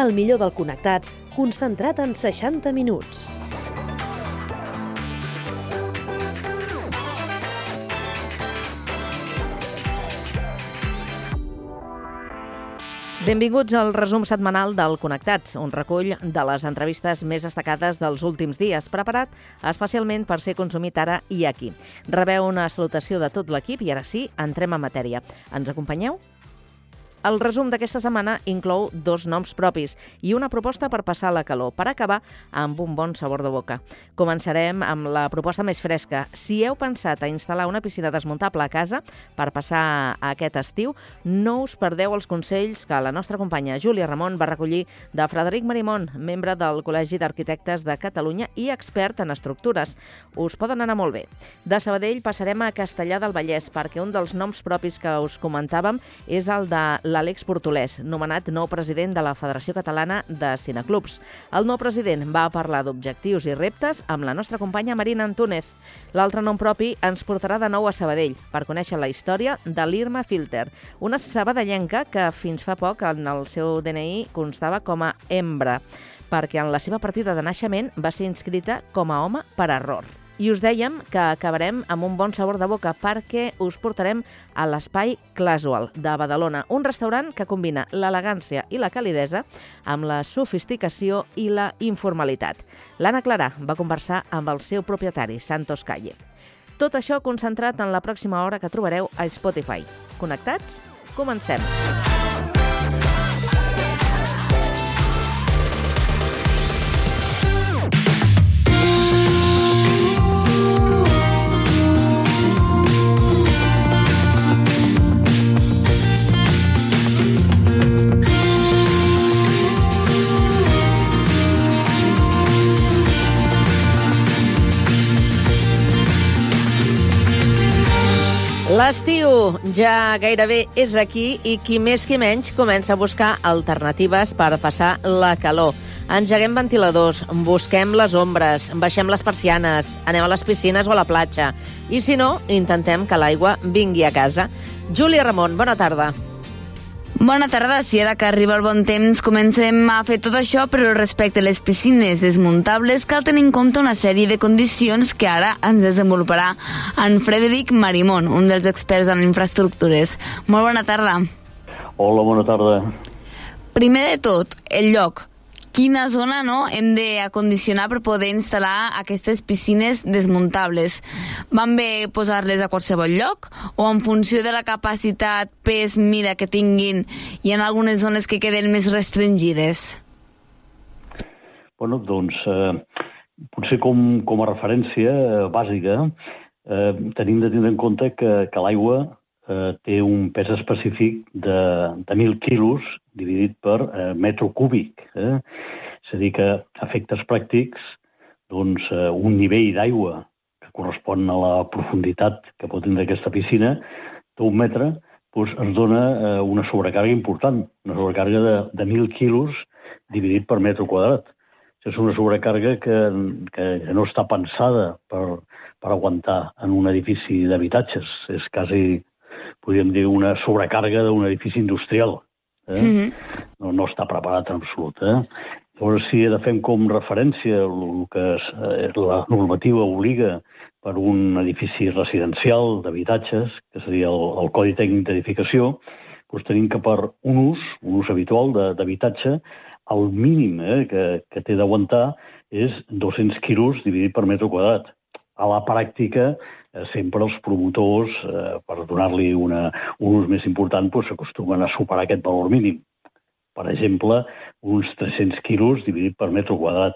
El millor del Connectats, concentrat en 60 minuts. Benvinguts al resum setmanal del Connectats, un recull de les entrevistes més destacades dels últims dies, preparat especialment per ser consumit ara i aquí. Rebeu una salutació de tot l'equip i ara sí, entrem en matèria. Ens acompanyeu? El resum d'aquesta setmana inclou 2 noms propis i una proposta per passar la calor, per acabar amb un bon sabor de boca. Començarem amb la proposta més fresca. Si heu pensat a instal·lar una piscina desmuntable a casa per passar aquest estiu, no us perdeu els consells que la nostra companya Júlia Ramon va recollir de Frederic Marimon, membre del Col·legi d'Arquitectes de Catalunya i expert en estructures. Us poden anar molt bé. De Sabadell passarem a Castellar del Vallès, perquè un dels noms propis que us comentàvem és el de l'Àlex Portolès, nomenat nou president de la Federació Catalana de Cineclubs. El nou president va parlar d'objectius i reptes amb la nostra companya Marina Antúnez. L'altre nom propi ens portarà de nou a Sabadell per conèixer la història de l'Irma Filter, una sabadellenca que fins fa poc en el seu DNI constava com a Embra, perquè en la seva partida de naixement va ser inscrita com a home per error. I us dèiem que acabarem amb un bon sabor de boca perquè us portarem a l'Espai Casual de Badalona, un restaurant que combina l'elegància i la calidesa amb la sofisticació i la informalitat. L'Anna Clarà va conversar amb el seu propietari, Santos Calle. Tot això concentrat en la pròxima hora que trobareu a Spotify. Connectats? Comencem! L'estiu ja gairebé és aquí i qui més qui menys comença a buscar alternatives per passar la calor. Engeguem ventiladors, busquem les ombres, baixem les persianes, anem a les piscines o a la platja. I si no, intentem que l'aigua vingui a casa. Júlia Ramon, bona tarda. Bona tarda, si ara que arriba el bon temps comencem a fer tot això, però respecte a les piscines desmuntables cal tenir en compte una sèrie de condicions que ara ens desenvoluparà en Frederic Marimon, un dels experts en infraestructures. Molt bona tarda. Hola, bona tarda. Primer de tot, el lloc. Quina zona hem d'acondicionar per poder instal·lar aquestes piscines desmuntables? Van bé posar-les a qualsevol lloc o en funció de la capacitat, pes, mida que tinguin hi ha algunes zones que queden més restringides? Bueno, doncs, potser com a referència bàsica tenim de tindre en compte que l'aigua té un pes específic de 1.000 quilos dividit per metre cúbic. És a dir, que a efectes pràctics, doncs, un nivell d'aigua que correspon a la profunditat que pot tindre aquesta piscina d'1 metre doncs, ens dona una sobrecàrrega important, una sobrecàrrega de 1.000 quilos dividit per metre quadrat. És una sobrecàrrega que no està pensada per aguantar en un edifici d'habitatges. És quasi, podríem dir, una sobrecàrrega d'un edifici industrial. No està preparat en absolut. Llavors, si agafem com referència el que la normativa obliga per un edifici residencial d'habitatges, que seria el Codi Tècnic d'Edificació, doncs tenim que per un ús habitual d'habitatge, el mínim que té d'aguantar és 200 quilos dividit per metre quadrat. A la pràctica, sempre els promotors, per donar-li un ús més important, s'acostumen a superar aquest valor mínim. Per exemple, uns 300 quilos dividit per metre quadrat.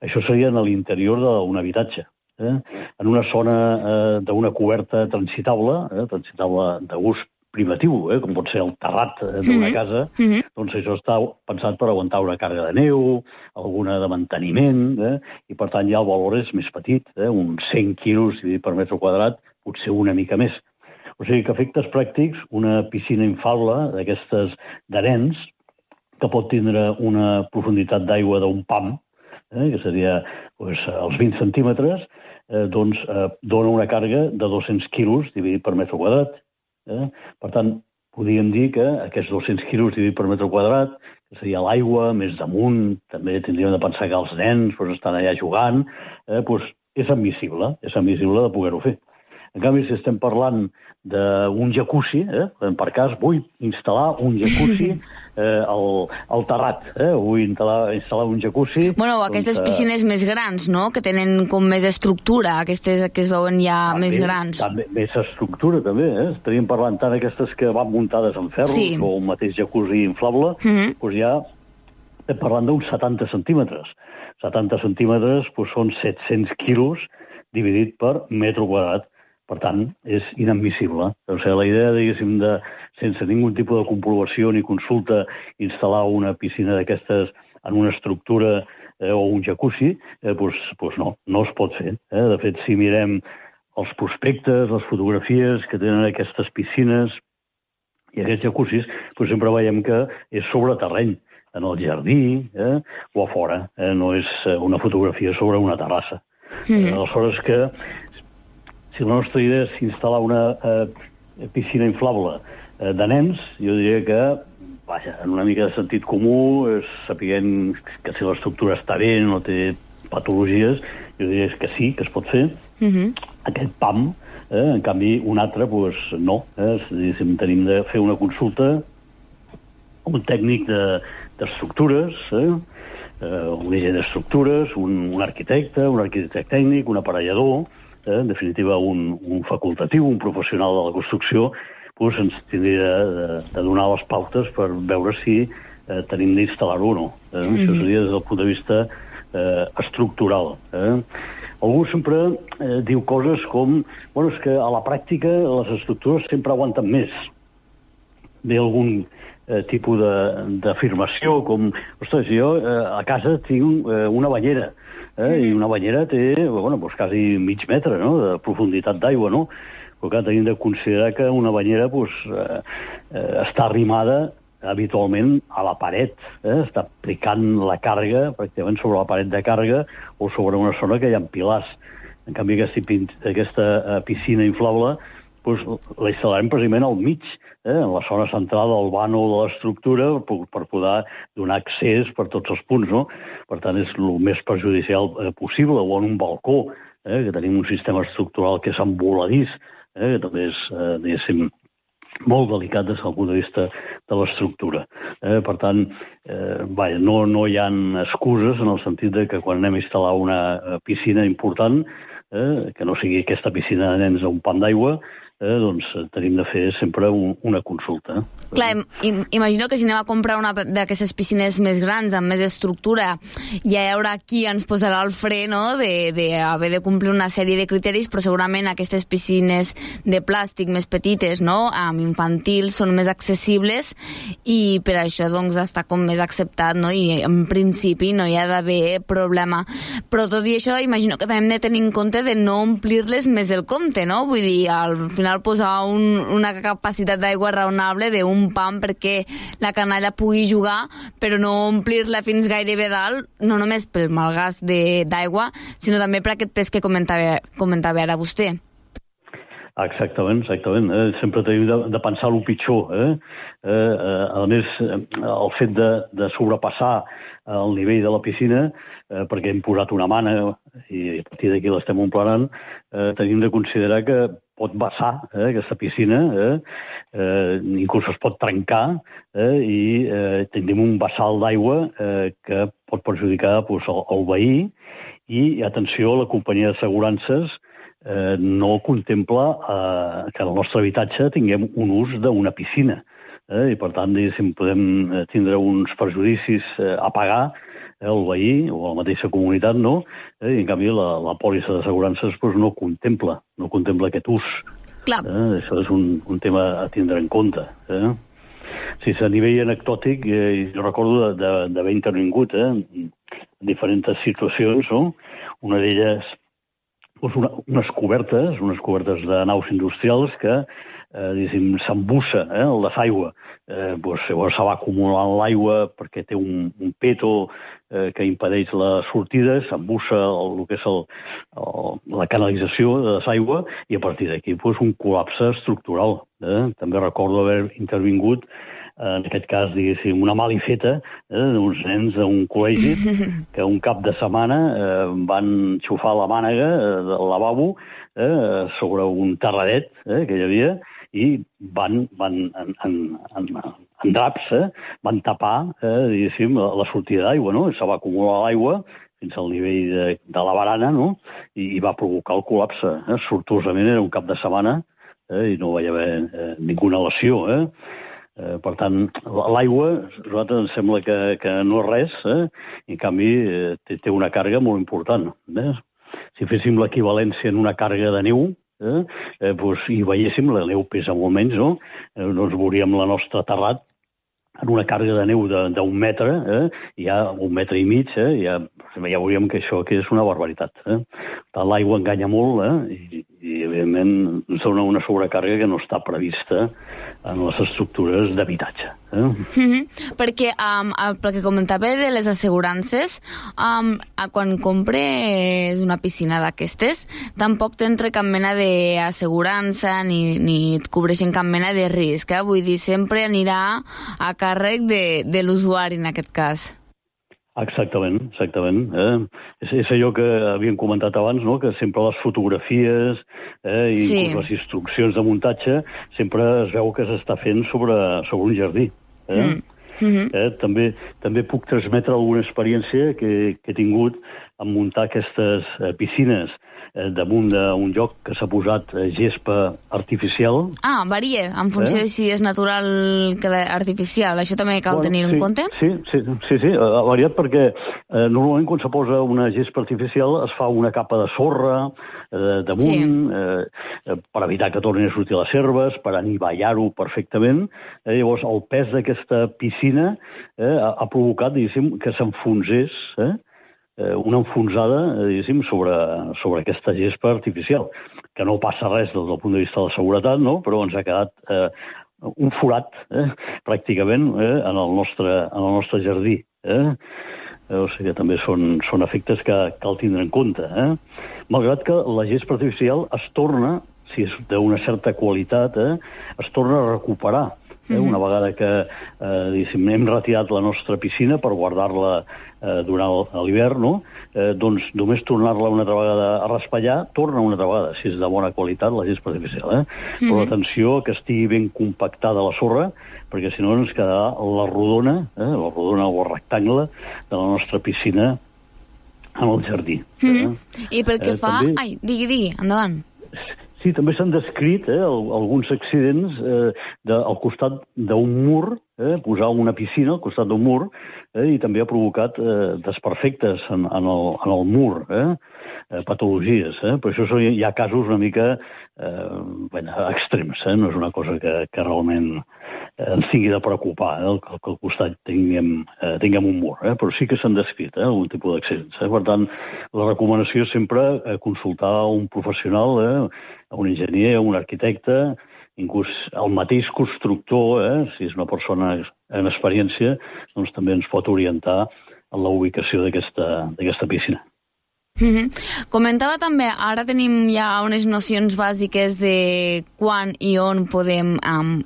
Això seria en l'interior d'un habitatge. En una zona d'una coberta transitable, transitable d'ús privatiu, com pot ser el terrat d'una casa, doncs això està pensat per aguantar una càrrega de neu, alguna de manteniment, i per tant ja el valor és més petit, uns 100 quilos dividit per metre quadrat, potser una mica més. O sigui que a efectes pràctics, una piscina inflable d'aquestes d'arens, que pot tindre una profunditat d'aigua d'un pam, que seria els 20 centímetres, doncs dona una càrrega de 200 quilos dividit per metre quadrat. Per tant, podríem dir que aquests 200 quilos dividit per metre quadrat, que seria l'aigua, més damunt, també tindríem de pensar que els nens estan allà jugant, és admissible de poder-ho fer. En canvi, si estem parlant d'un jacuzzi, per cas, vull instal·lar un jacuzzi al terrat, vull instal·lar un jacuzzi... Bueno, aquestes piscines més grans, no?, que tenen com més estructura, aquestes que es veuen ja més grans. També, més estructura, també, Estaríem parlant tant d'aquestes que van muntades en ferros o un mateix jacuzzi inflable, doncs ja estem parlant d'uns 70 centímetres. 70 centímetres són 700 quilos dividit per metre quadrat. Per tant, és inadmissible. O sigui, la idea, diguéssim, sense ningun tipus de comprovació ni consulta, instal·lar una piscina d'aquestes en una estructura o un jacuzzi, no es pot fer. De fet, si mirem els prospectes, les fotografies que tenen aquestes piscines i aquests jacuzzis, sempre veiem que és sobre terreny, en el jardí o a fora. No és una fotografia sobre una terrassa. Aleshores que si la nostra idea és instal·lar una piscina inflable de nens, jo diria que, en una mica de sentit comú, sapiguent que si l'estructura està bé, no té patologies, jo diria que sí, que es pot fer. Aquest PAM, en canvi, un altre, no. Tenim de fer una consulta a un tècnic d'estructures, un enginyer d'estructures, un arquitecte tècnic, un aparellador, en definitiva, un facultatiu, un professional de la construcció, ens tindria de donar les pautes per veure si tenim d'instal·lar-ho o no. Això seria des del punt de vista estructural. Algú sempre diu coses com és que a la pràctica les estructures sempre aguanten més. Ve algun tipus d'afirmació com, ostres, jo a casa tinc una banyera, i una banyera té quasi mig metre de profunditat d'aigua, no? Però clar, tenim de considerar que una banyera està arrimada habitualment a la paret, està aplicant la càrrega pràcticament sobre la paret de càrrega o sobre una zona que hi ha pilars. En canvi, aquesta piscina inflable la instal·larem precisament al mig, en la zona central del vano de l'estructura per poder donar accés per tots els punts, no? Per tant, és el més perjudicial possible, o en un balcó, que tenim un sistema estructural que és emboladís, que també és, diguéssim, molt delicat des del punt de vista de l'estructura. Per tant, no hi ha excuses en el sentit que quan anem a instal·lar una piscina important, que no sigui aquesta piscina de nens a un pam d'aigua, tenim de fer sempre una consulta. Clar, imagino que si anem a comprar una d'aquestes piscines més grans, amb més estructura, ja hi haurà qui ens posarà el fre, no?, d'haver de complir una sèrie de criteris, però segurament aquestes piscines de plàstic més petites, no?, amb infantils, són més accessibles i per això, està com més acceptat, no?, i en principi no hi ha d'haver problema. Però tot i això, imagino que també hem de tenir en compte de no omplir-les més del compte, no?, vull dir, al final posar una capacitat d'aigua raonable d'un pam perquè la canalla pugui jugar, però no omplir-la fins gairebé dalt, no només pel malgast d'aigua, sinó també per aquest pes que comentava ara vostè. Exactament. Sempre tenim de pensar el pitjor. A més, el fet de sobrepassar el nivell de la piscina, perquè hem posat una mana i a partir d'aquí l'estem omplenant, tenim de considerar que pot vessar aquesta piscina, inclús es pot trencar i tindrem un vessal d'aigua que pot perjudicar el veí i, atenció, la companyia d'assegurances no contempla que al nostre habitatge tinguem un ús d'una piscina. I, per tant, podem tindre uns perjudicis a pagar el veí o la mateixa comunitat, no? I, en canvi, la pòlissa d'assegurances no contempla aquest ús. Clar. Això és un tema a tindre en compte. Sí, a nivell anecdòtic, jo recordo d'haver intervingut en diferents situacions, no? Una d'elles unes cobertes de naus industrials que s'embussa la aigua. Llavors se va acumulant l'aigua perquè té un peto que impedeix la sortida, s'embussa el que és la canalització de l'aigua i a partir d'aquí un col·lapse estructural. També recordo haver intervingut en aquest cas, diguéssim, una malifeta d'uns nens d'un col·legi que un cap de setmana van xufar la mànega del lavabo sobre un terradet que hi havia i van en draps, van tapar, diguéssim, la sortida d'aigua, no? Se va acumular l'aigua fins al nivell de la barana, no? I va provocar el col·lapse. Sortosament era un cap de setmana i no va haver ninguna lesió, Per tant, l'aigua, a nosaltres ens sembla que no és res, i en canvi té una càrrega molt important. Si féssim l'equivalència en una càrrega de neu, i veiéssim, la neu pesa molt menys, no? Doncs veuríem la nostra terrat en una càrrega de neu d'un metre, ja 1 metre i mig, ja veuríem que això és una barbaritat. L'aigua enganya molt i, evidentment, ens dona una sobrecàrrega que no està prevista en les estructures d'habitatge. Perquè comentava de les assegurances, quan compres una piscina d'aquestes, tampoc t'entra cap mena d'assegurança ni et cobreixen cap mena de risc. Vull dir, sempre anirà a càrrec de l'usuari en aquest cas. Exactament. És allò que havíem comentat abans, no? Que sempre les fotografies i les instruccions de muntatge sempre es veu que s'està fent sobre un jardí. També puc transmetre alguna experiència que he tingut en muntar aquestes piscines damunt d'un lloc que s'ha posat gespa artificial. Varia, en funció de si és natural que artificial. Això també cal tenir en compte? Sí, ha variat perquè normalment quan se posa una gespa artificial es fa una capa de sorra damunt per evitar que tornin a sortir les herbes, per anivellar-ho perfectament. Llavors, el pes d'aquesta piscina ha provocat, diguéssim, que s'enfonsés una enfonsada, diguéssim, sobre aquesta gespa artificial, que no passa res des del punt de vista de la seguretat, no? Però ens ha quedat un forat, pràcticament, en el nostre jardí. O sigui que també són efectes que cal tindre en compte. Malgrat que la gespa artificial es torna, si és d'una certa qualitat, es torna a recuperar. Una vegada que hem retirat la nostra piscina per guardar-la durant l'hivern, doncs només tornar-la una altra vegada a raspallar, torna una altra vegada, si és de bona qualitat la gespa artificial. Però atenció que estigui ben compactada la sorra, perquè si no ens quedarà la rodona o el rectangle de la nostra piscina en el jardí. I pel que fa... Digui, endavant. Sí, també s'han descrit alguns accidents al costat d'un mur, posar una piscina al costat d'un mur, i també ha provocat desperfectes en el mur, patologies. Per això hi ha casos una mica extrems, no és una cosa que realment ens tingui de preocupar, que al costat tinguem un mur, però sí que s'han descrit algun tipus d'accidents. Per tant, la recomanació és sempre consultar un professional, un enginyer, un arquitecte, inclús el mateix constructor, si és una persona en experiència, doncs també ens pot orientar en la ubicació d'aquesta piscina. Comentava també, ara tenim ja unes nocions bàsiques de quan i on podem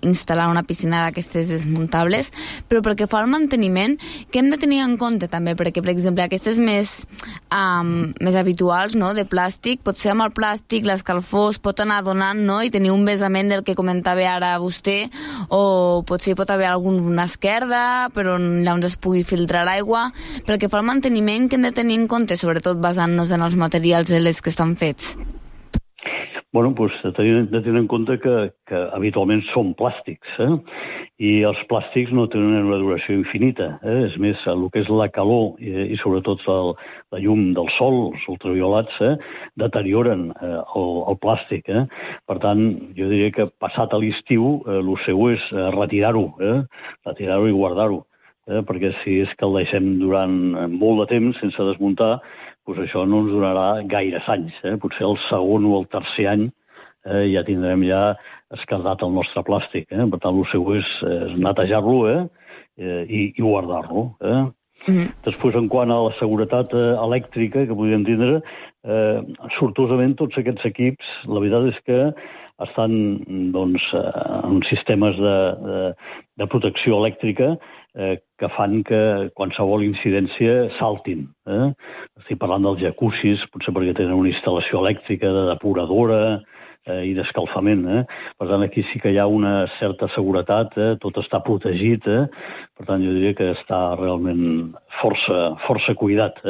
instal·lar una piscina d'aquestes desmuntables, però pel que fa al manteniment, què hem de tenir en compte també? Perquè, per exemple, aquestes més habituals, de plàstic, potser amb el plàstic l'escalfor es pot anar donant i tenir un vessament del que comentava ara vostè, o potser hi pot haver alguna esquerda però on es pugui filtrar l'aigua. Pel que fa al manteniment, què hem de tenir en compte, sobretot basant-nos en els materials en els que estan fets? Bueno, doncs de tenir en compte que habitualment són plàstics, i els plàstics no tenen una duració infinita. És més, el que és la calor i sobretot la llum del sol, els ultraviolats, deterioren el plàstic. Per tant, jo diria que passat a l'estiu, el seu és retirar-ho i guardar-ho. Perquè si és que el deixem durant molt de temps sense desmuntar, doncs això no ens donarà gaires anys. Potser el segon o el tercer any ja tindrem escaldat el nostre plàstic. Per tant, el seu és netejar-lo i guardar-lo. Després, en quant a la seguretat elèctrica que podríem tindre, sortosament tots aquests equips, la veritat és que estan en sistemes de protecció elèctrica que fan que qualsevol incidència saltin. Estic parlant dels jacuzzis, potser perquè tenen una instal·lació elèctrica de depuradora i d'escalfament. Per tant, aquí sí que hi ha una certa seguretat, tot està protegit, per tant, jo diria que està realment força cuidat.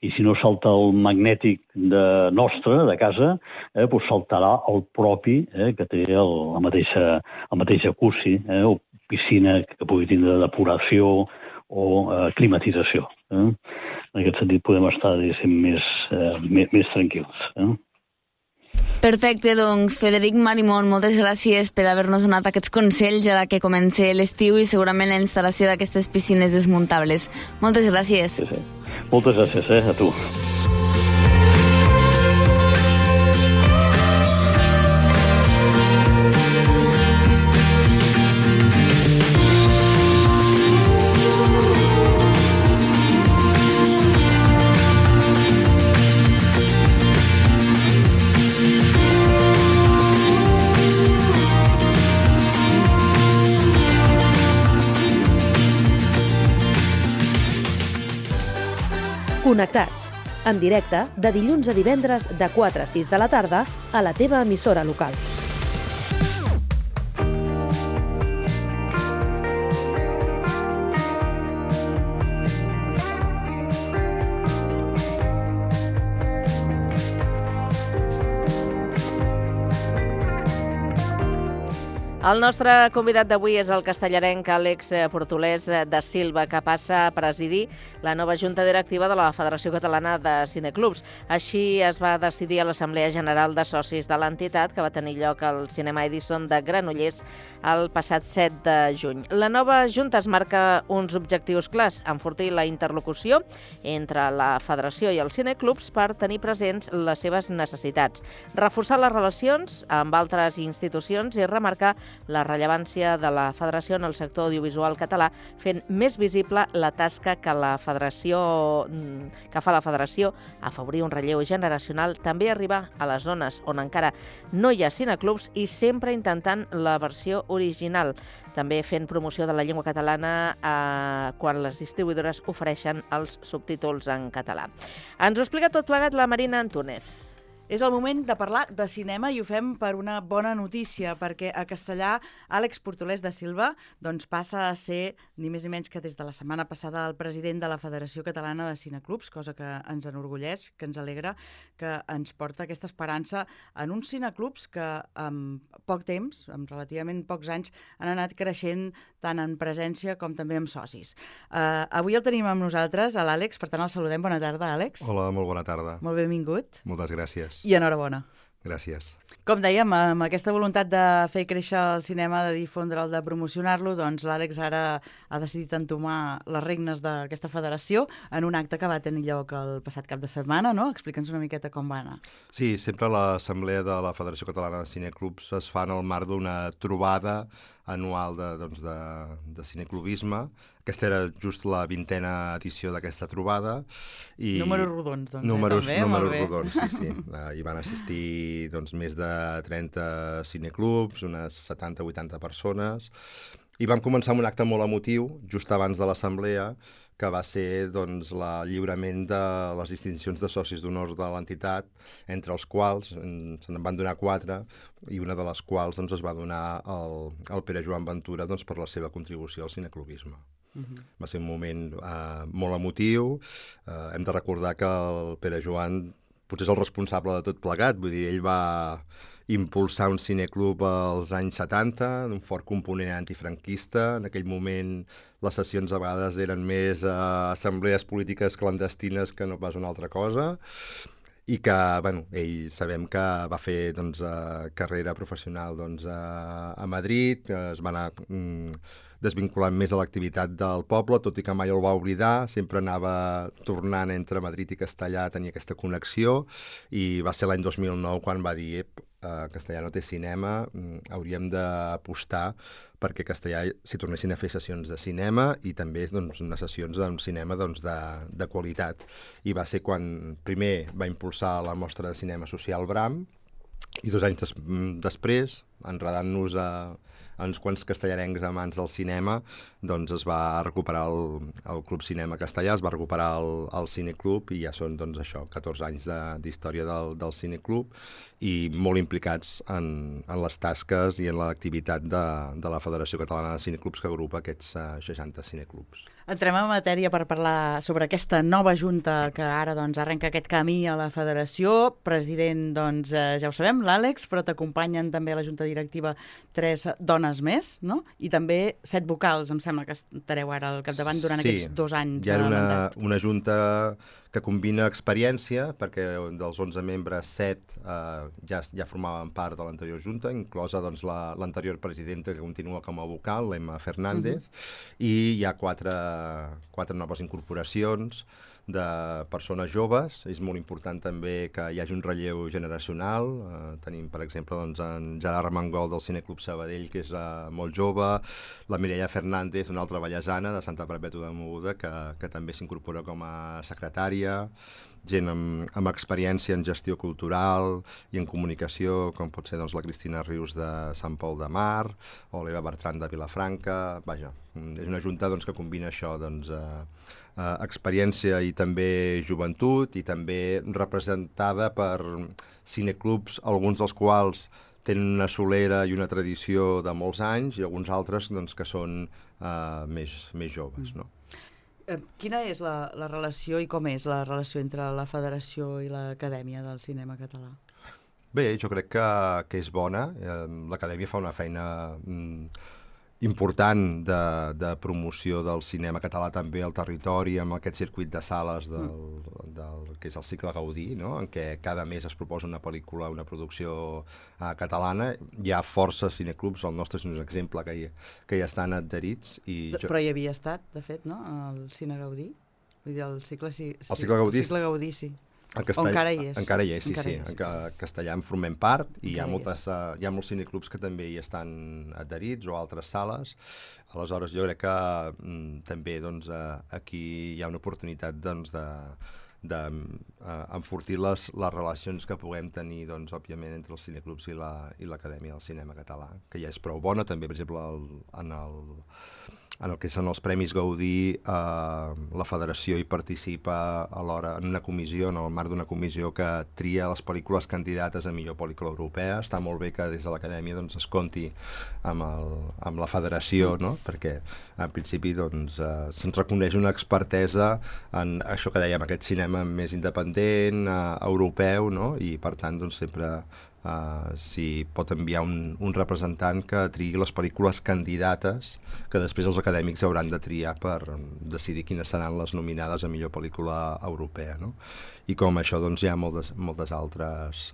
I si no salta el magnètic nostre, de casa, doncs saltarà el propi que té el mateix jacuzzi o piscina que pugui tindre depuració o climatització. En aquest sentit podem estar, diguéssim, més tranquils. Perfecte, doncs, Frederic Marimon, moltes gràcies per haver-nos donat aquests consells ara que comença l'estiu i segurament la instal·lació d'aquestes piscines desmuntables. Moltes gràcies. Sí. Moltes gràcies, a tu. Connectats, en directe de dilluns a divendres de 4 a 6 de la tarda a la teva emissora local. El nostre convidat d'avui és el castellarenc Àlex Portolès da Silva, que passa a presidir la nova Junta Directiva de la Federació Catalana de Cineclubs. Així es va decidir a l'Assemblea General de Socis de l'entitat, que va tenir lloc al Cinema Edison de Granollers el passat 7 de juny. La nova Junta es marca uns objectius clars: enfortir la interlocució entre la Federació i els cineclubs per tenir presents les seves necessitats, reforçar les relacions amb altres institucions i remarcar la rellevància de la Federació en el sector audiovisual català, fent més visible la tasca que fa la Federació, afavorir un relleu generacional, també arribar a les zones on encara no hi ha cineclubs i sempre intentant la versió original, també fent promoció de la llengua catalana quan les distribuïdores ofereixen els subtítols en català. Ens ho explica tot plegat la Marina Antúnez. És el moment de parlar de cinema i ho fem per una bona notícia, perquè a Castellà Àlex Portolès da Silva passa a ser, ni més ni menys que des de la setmana passada, el president de la Federació Catalana de Cineclubs, cosa que ens enorgulleix, que ens alegra, que ens porta aquesta esperança en uns cineclubs que en poc temps, en relativament pocs anys, han anat creixent tant en presència com també amb socis. Avui el tenim amb nosaltres, a l'Àlex, per tant el saludem. Bona tarda, Àlex. Hola, molt bona tarda. Molt benvingut. Moltes gràcies. I enhorabona. Gràcies. Com dèiem, amb aquesta voluntat de fer créixer el cinema, de difondre'l, de promocionar-lo, doncs l'Àlex ara ha decidit entomar les regnes d'aquesta federació en un acte que va tenir lloc el passat cap de setmana, no? Explica'ns una miqueta com va anar. Sí, sempre l'Assemblea de la Federació Catalana de Cineclubs es fa en el marc d'una trobada anual de cineclubisme. Aquesta era just la 20a edició d'aquesta trobada. Números rodons, doncs. Números rodons, sí. Hi van assistir més de 30 cineclubs, unes 70-80 persones. I vam començar amb un acte molt emotiu, just abans de l'assemblea, que va ser el lliurament de les distincions de socis d'honor de l'entitat, entre els quals se'n van donar 4, i una de les quals es va donar al Pere Joan Ventura per la seva contribució al cineclubisme. Va ser un moment molt emotiu. Hem de recordar que el Pere Joan potser és el responsable de tot plegat, vull dir, ell va impulsar un cineclub als anys 70, d'un fort component antifranquista. En aquell moment les sessions a vegades eren més assemblees polítiques clandestines que no pas una altra cosa, i que, ell sabem que va fer carrera professional a Madrid, que es va anar desvinculant més a l'activitat del poble, tot i que mai el va oblidar, sempre anava tornant entre Madrid i Castellà, tenia aquesta connexió, i va ser l'any 2009 quan va dir Castellà no té cinema, hauríem d'apostar perquè a Castellà s'hi tornessin a fer sessions de cinema i també doncs, unes sessions d'un cinema doncs, de qualitat. I va ser quan primer va impulsar la mostra de cinema social Bram, i 2 anys després, enredant-nos a uns quants castellarencs amants del cinema, doncs es va recuperar el Club Cinema Castellà, es va recuperar el Cineclub, i ja són doncs, això, 14 anys d'història del Cineclub, i molt implicats en les tasques i en l'activitat de la Federació Catalana de Cineclubs, que agrupa aquests 60 cineclubs. Entrem en matèria per parlar sobre aquesta nova junta que ara doncs, arrenca aquest camí a la federació. President, doncs, ja ho sabem, l'Àlex, però t'acompanyen també a la junta directiva 3 dones més, no? I també 7 vocals, em sembla que estareu ara al capdavant durant aquests 2 anys. Ja era una junta que combina experiència, perquè dels 11 membres, 7 ja formaven part de l'anterior junta, inclosa doncs, l'anterior presidenta que continua com a vocal, l'Emma Fernández, i hi ha 4 noves incorporacions de persones joves. És molt important també que hi hagi un relleu generacional. Tenim, per exemple, doncs, en Gerard Armengol del Cineclub Sabadell, que és molt jove, la Mireia Fernández, una altra vallesana de Santa Perpètua de Mogoda, que també s'incorpora com a secretària, gent amb experiència en gestió cultural i en comunicació, com pot ser doncs, la Cristina Rius de Sant Pol de Mar o l'Eva Bertran de Vilafranca. Vaja, és una junta doncs, que combina això, doncs, experiència i també joventut, i també representada per cineclubs, alguns dels quals tenen una solera i una tradició de molts anys, i alguns altres doncs, que són més joves, no? Quina és la relació i com és la relació entre la Federació i l'Acadèmia del Cinema Català? Bé, jo crec que és bona. L'Acadèmia fa una feina important de promoció del cinema català també al territori, amb aquest circuit de sales del que és el cicle Gaudí, no? En què cada mes es proposa una pel·lícula, una producció catalana. Hi ha força cineclubs, el nostre és un exemple que hi estan adherits. Però hi havia estat, de fet, no?, el Cine Gaudí? Vull dir, el cicle Gaudí. Cicle Gaudí, sí. Encara hi és. Encara hi és, sí. A Castellà en formem part, i hi ha molts cineclubs que també hi estan adherits, o altres sales. Aleshores, jo crec que també doncs, aquí hi ha una oportunitat doncs, d'enfortir les relacions que puguem tenir, doncs, òbviament, entre els cineclubs i l'Acadèmia del Cinema Català, que ja és prou bona. També, per exemple, en el que són els Premis Gaudí, la Federació hi participa alhora en una comissió, en el marc d'una comissió que tria les pel·lícules candidates a millor pel·lícula europea. Està molt bé que des de l'Acadèmia doncs, es compti amb la Federació, no? Perquè en principi doncs, se'ns reconeix una expertesa en això que dèiem, aquest cinema més independent, europeu, no? I per tant doncs, sempre si pot enviar un representant que triï les pel·lícules candidates que després els acadèmics hauran de triar per decidir quines seran les nominades a millor pel·lícula europea, no? I com això doncs, hi ha moltes altres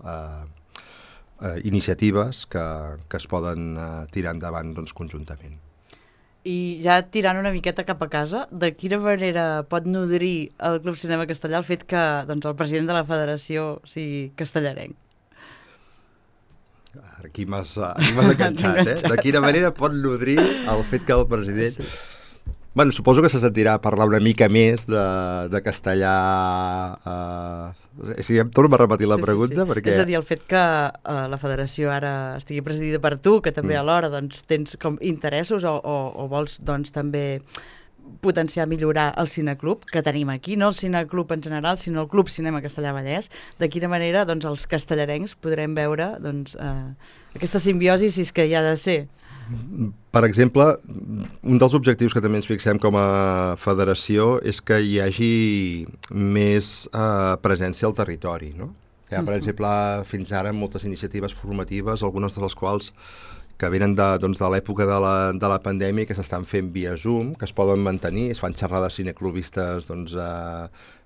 iniciatives que es poden tirar endavant doncs, conjuntament. I ja tirant una miqueta cap a casa, de quina manera pot nodrir el Club Cinema Castellà el fet que doncs, el president de la federació sigui castellarenc? Aquí m'has enganxat, eh? De quina manera pot nodrir el fet que el president... Sí. Bueno, suposo que se sentirà parlar una mica més de castellà... Sí, em torno a repetir la pregunta, perquè... És a dir, el fet que la federació ara estigui presidida per tu, que també alhora doncs, tens com interessos o vols doncs, també potenciar, millorar el cineclub que tenim aquí, no el cineclub en general, sinó el Club Cinema Castellà-Vallès. De quina manera doncs, els castellarencs podrem veure doncs, aquesta simbiosi, si és que hi ha de ser? Per exemple, un dels objectius que també ens fixem com a federació és que hi hagi més presència al territori, no? Hi ha, per exemple, fins ara moltes iniciatives formatives, algunes de les quals que venen de l'època de la pandèmia, que s'estan fent via Zoom, que es poden mantenir, es fan xerrades cineclubistes doncs,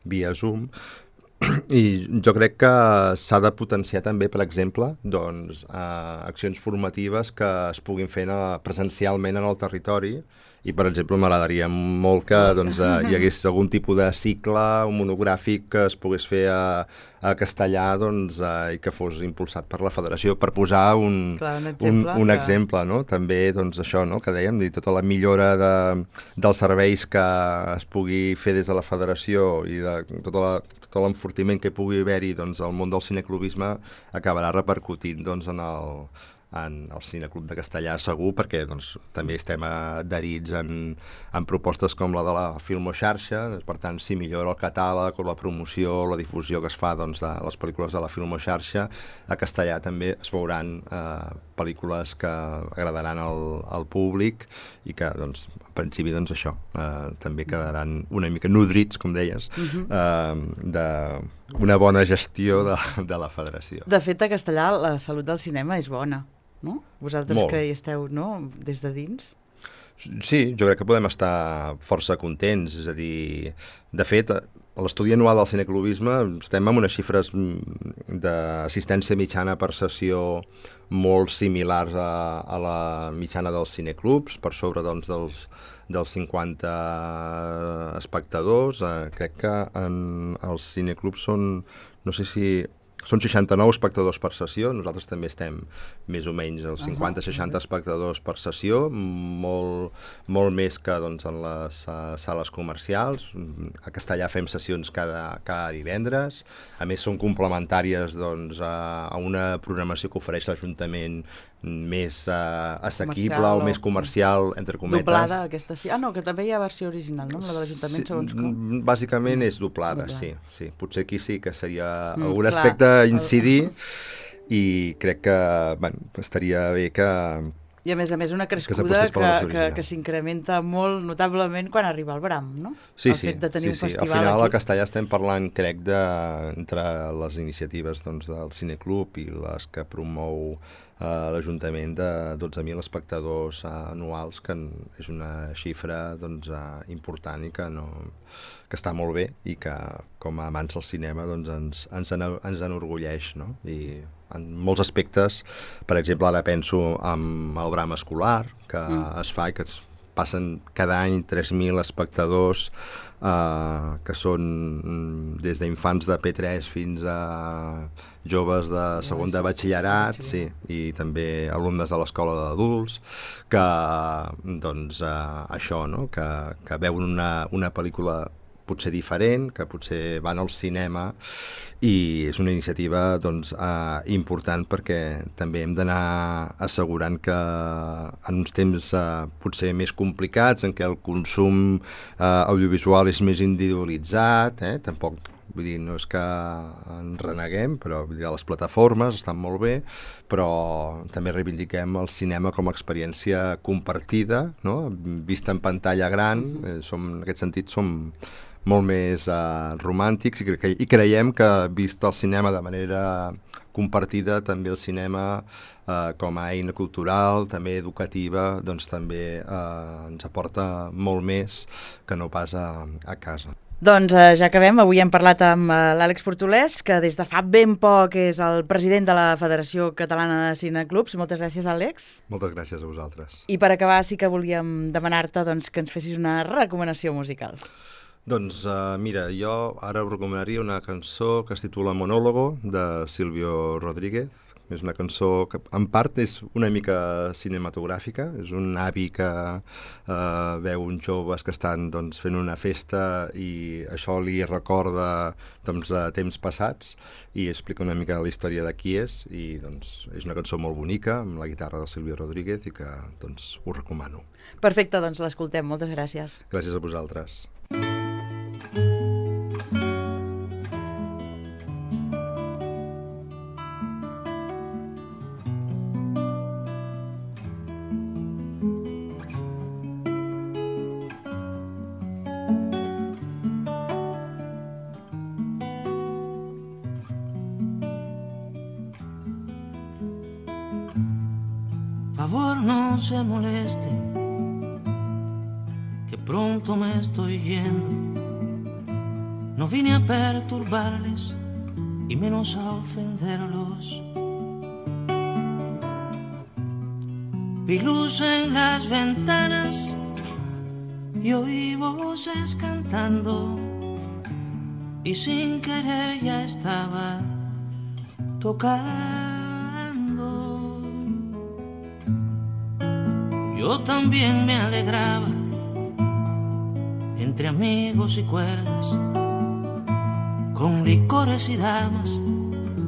via Zoom, I jo crec que s'ha de potenciar també, per exemple, doncs, accions formatives que es puguin fer presencialment en el territori. I, per exemple, m'agradaria molt que doncs, hi hagués algun tipus de cicle, un monogràfic que es pogués fer a Castellà doncs, i que fos impulsat per la federació, per posar un exemple, no? També doncs, això, no? Que dèiem, tota la millora dels serveis que es pugui fer des de la federació i de tot l'enfortiment que pugui haver-hi doncs, al món del cineclubisme acabarà repercutint doncs, en el Cineclub de Castellà, segur, perquè doncs, també estem adherits en propostes com la de la Filmoxarxa. Per tant, si millora el catàleg o la promoció o la difusió que es fa doncs, de les pel·lícules de la Filmoxarxa, a Castellà també es veuran pel·lícules que agradaran al públic i que, doncs, en principi, doncs, això, també quedaran una mica nodrits, com deies, d'una bona gestió de la federació. De fet, a Castellà la salut del cinema és bona, no? Vosaltres que hi esteu, no?, des de dins. Sí, jo crec que podem estar força contents. És a dir, de fet, a l'estudi anual del cineclubisme estem amb unes xifres d'assistència mitjana per sessió molt similars a la mitjana dels cineclubs, per sobre doncs, dels 50 espectadors. Crec que els cineclubs són, no sé si... Són 69 espectadors per sessió, nosaltres també estem més o menys als 50-60 espectadors per sessió, molt més que doncs, en les sales comercials. A Castellà fem sessions cada divendres, a més són complementàries doncs, a una programació que ofereix l'Ajuntament més assequible o més comercial, entre cometes. Doblada, aquesta sí. Ah, no, que també hi ha versió original, no? La de l'Ajuntament, segons com. Bàsicament és doblada, sí. Potser aquí sí que seria algun aspecte a incidir i crec que estaria bé que... I a més una crescuda que s'incrementa molt notablement quan arriba el Bram, no? Sí. Al final a Castellà estem parlant, crec, entre les iniciatives doncs, del Cineclub i les que promou l'Ajuntament de 12.000 espectadors anuals, que és una xifra doncs, important i que està molt bé i que, com a amants del cinema, doncs, ens enorgulleix, no? I en molts aspectes, per exemple, ara penso en el Bram escolar, que es fa i que passen cada any 3.000 espectadors que són des d'infants de P3 fins a joves de segon de batxillerat, sí, i també alumnes de l'escola d'adults, que doncs, això, no? que veuen una pel·lícula potser diferent, que potser van al cinema, i és una iniciativa doncs, important perquè també hem d'anar assegurant que en uns temps potser més complicats, en què el consum audiovisual és més individualitzat, tampoc, vull dir, no és que en reneguem, però vull dir, les plataformes estan molt bé, però també reivindiquem el cinema com a experiència compartida, no? Vista en pantalla gran, en aquest sentit som molt més romàntics i creiem que vist el cinema de manera compartida, també el cinema com a eina cultural, també educativa, doncs també ens aporta molt més que no pas a casa. Doncs ja acabem. Avui hem parlat amb l'Àlex Portolès, que des de fa ben poc és el president de la Federació Catalana de Cineclubs. Moltes gràcies, Àlex. Moltes gràcies a vosaltres. I per acabar sí que volíem demanar-te doncs, que ens fessis una recomanació musical. Doncs mira, jo ara us recomanaria una cançó que es titula Monólogo, de Silvio Rodríguez. És una cançó que en part és una mica cinematogràfica, és un avi que veu uns joves que estan doncs, fent una festa i això li recorda doncs, temps passats i explica una mica la història de qui és i doncs, és una cançó molt bonica amb la guitarra de Silvio Rodríguez i que doncs, us recomano. Perfecte, doncs l'escoltem. Moltes gràcies. Gràcies a vosaltres. Favor, no se moleste, que pronto me estoy yendo. No vine a perturbarles y menos a ofenderlos. Vi luz en las ventanas y oí voces cantando, y sin querer ya estaba tocando. Yo también me alegraba entre amigos y cuerdas, con licores y damas,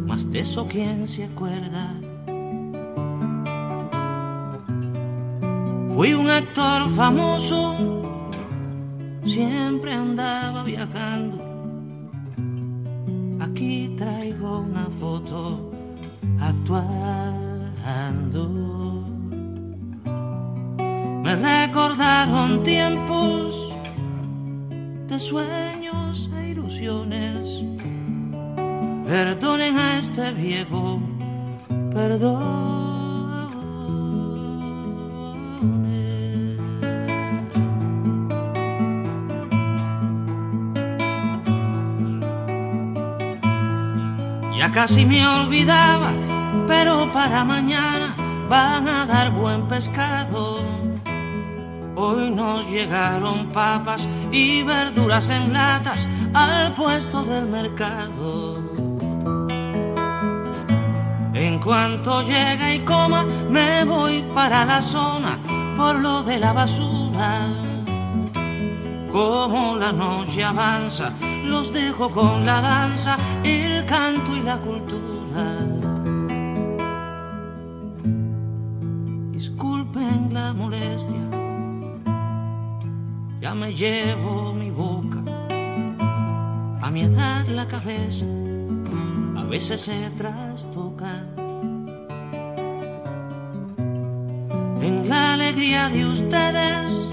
más de eso quién se acuerda. Fui un actor famoso, siempre andaba viajando. Aquí traigo una foto actuando. Me recordaron tiempos de sueños e ilusiones. Perdonen a este viejo, perdón. Ya casi me olvidaba, pero para mañana van a dar buen pescado. Hoy nos llegaron papas y verduras en latas al puesto del mercado. En cuanto llegue y coma, me voy para la zona por lo de la basura. Como la noche avanza, los dejo con la danza, el canto y la cultura. Disculpen la molestia, ya me llevo mi boca. A mi edad la cabeza a veces se trastoca. En la alegría de ustedes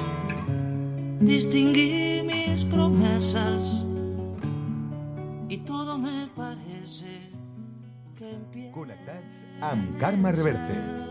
distinguí mis promesas y todo me parece que empieza. Connectats amb Carme Reverte.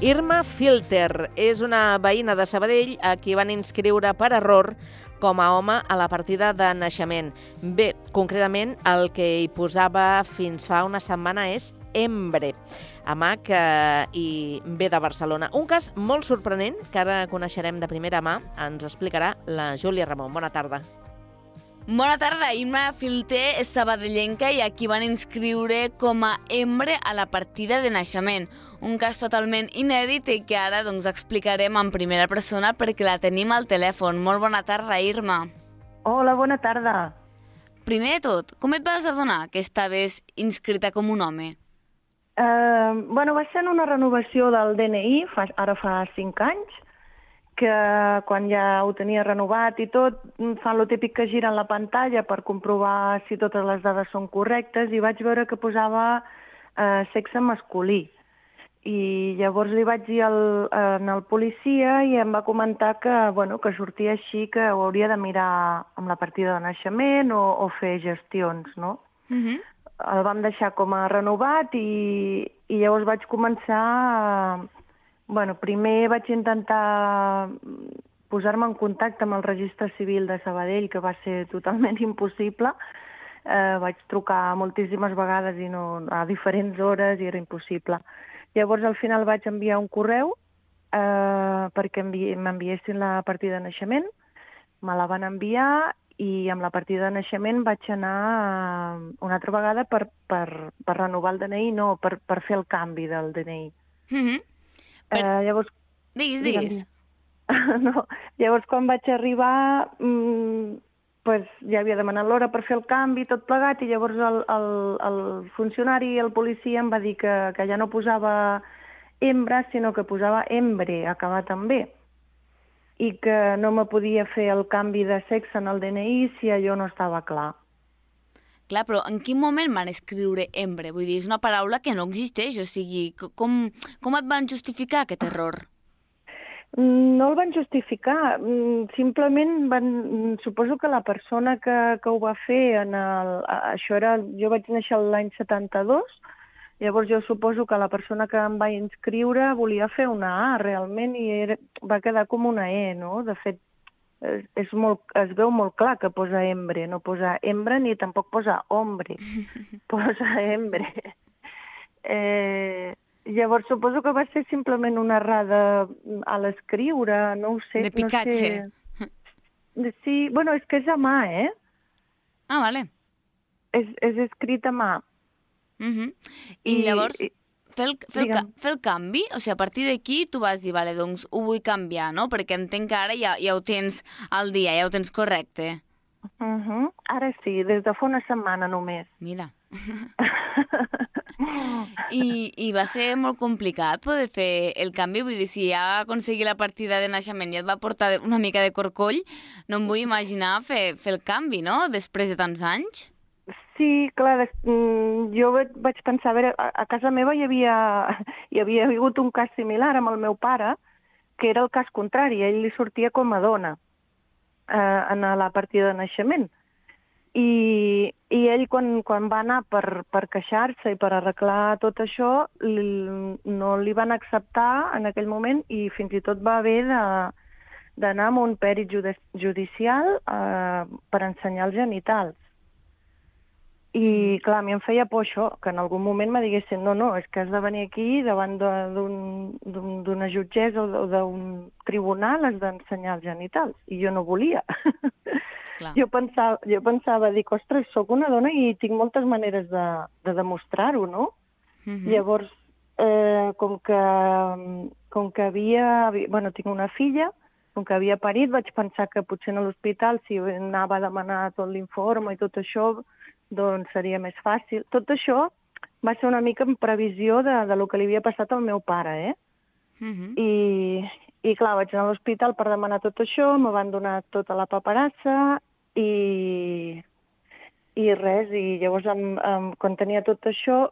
Irma Filter és una veïna de Sabadell a qui van inscriure per error com a home a la partida de naixement. Bé, concretament el que hi posava fins fa una setmana és Embre, Amac i ve de Barcelona. Un cas molt sorprenent que ara coneixerem de primera mà, ens ho explicarà la Júlia Ramon. Bona tarda. Bona tarda, Irma Filter és sabadellenca i a qui van inscriure com a Embre a la partida de naixement. Un cas totalment inèdit i que ara explicarem en primera persona perquè la tenim al telèfon. Molt bona tarda, Irma. Hola, bona tarda. Primer de tot, com et vas adonar que estaves inscrita com un home? Va ser en una renovació del DNI, ara fa 5 anys, que quan ja ho tenia renovat i tot, fan lo típic que giren la pantalla per comprovar si totes les dades són correctes i vaig veure que posava sexe masculí. I llavors li vaig dir al policia i em va comentar que sortia així, que ho hauria de mirar amb la partida de naixement o fer gestions, no? El vam deixar com a renovat i llavors vaig començar... Primer vaig intentar posar-me en contacte amb el registre civil de Sabadell, que va ser totalment impossible. Vaig trucar moltíssimes vegades i a diferents hores i era impossible. Llavors, al final vaig enviar un correu perquè m'enviessin la partida de naixement. Me la van enviar i amb la partida de naixement vaig anar una altra vegada per renovar el DNI, no, per fer el canvi del DNI. Llavors... Digues. No, llavors, quan vaig arribar, ja havia demanat l'hora per fer el canvi, tot plegat, i llavors el funcionari, el policia, em va dir que ja no posava Embre, sinó que posava Embre, acabat amb B, i que no me podia fer el canvi de sexe en el DNI si allò no estava clar. Clar, però en quin moment van escriure embre? Vull dir, és una paraula que no existeix, o sigui, com et van justificar aquest error? No el van justificar, simplement suposo que la persona que ho va fer, jo vaig néixer l'any 72, llavors jo suposo que la persona que em va inscriure volia fer una A realment i va quedar com una E, no? De fet, es veu molt clar que posa embre, no posa embre ni tampoc posa hombre, posa embre. Llavors suposo que va ser simplement una errada a l'escriure, no ho sé. De picatge. No sé. Sí, bueno, és que és a mà, eh? Ah, vale. És escrit a mà. I llavors, fer el canvi, o sigui, a partir d'aquí tu vas dir, vale, doncs ho vull canviar, no? Perquè entenc que ara ja ho tens al dia, ja ho tens correcte. Ara sí, des de fa una setmana només. Mira. I va ser molt complicat poder fer el canvi? Vull dir, si ja aconseguir la partida de naixement ja et va portar una mica de corcoll, no em vull imaginar fer el canvi, no?, després de tants anys. Sí, clar, jo vaig pensar, a veure, a casa meva hi havia hagut un cas similar amb el meu pare, que era el cas contrari, ell li sortia com a dona en la partida de naixement. I ell, quan va anar per queixar-se i per arreglar tot això, no li van acceptar en aquell moment i fins i tot va haver d'anar amb un pèrit judicial per ensenyar els genitals. I, clar, a mi em feia por això, que en algun moment me diguessin no, és que has de venir aquí davant d'una jutgessa o d'un tribunal, has d'ensenyar els genitals. I jo no volia. Jo pensava, dic, ostres, sóc una dona i tinc moltes maneres de demostrar-ho, no? Llavors, com que tinc una filla, com que havia parit, vaig pensar que potser a l'hospital, si anava a demanar tot l'informe i tot això, doncs seria més fàcil. Tot això va ser una mica en previsió de lo que li havia passat al meu pare, I clar, vaig anar a l'hospital per demanar tot això, me van donar tota la paperassa i res. I llavors, quan tenia tot això,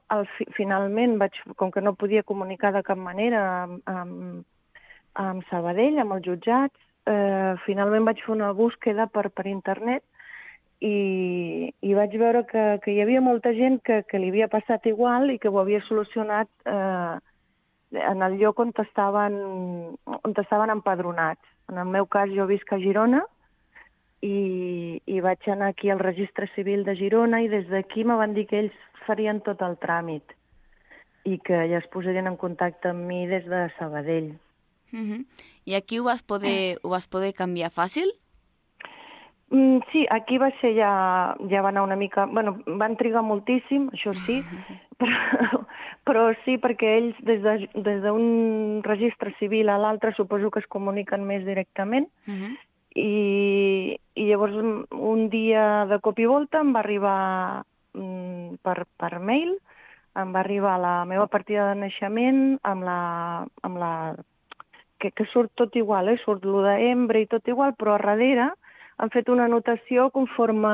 finalment, com que no podia comunicar de cap manera amb Sabadell, amb els jutjats, finalment vaig fer una búsqueda per internet i vaig veure que hi havia molta gent que li havia passat igual i que ho havia solucionat en el lloc on estaven empadronats. En el meu cas, jo visc a Girona i vaig anar aquí al Registre Civil de Girona i des d'aquí me van dir que ells farien tot el tràmit i que ja es posarien en contacte amb mi des de Sabadell. I aquí ho vas poder canviar fàcil? Sí, aquí va ser ja va anar una mica... Bueno, van trigar moltíssim, això sí, però sí, perquè ells des d'un registre civil a l'altre suposo que es comuniquen més directament i llavors un dia de cop i volta em va arribar per mail, em va arribar la meva partida de naixement amb la que surt tot igual, surt lo d'embre i tot igual, però a darrere han fet una anotació conforme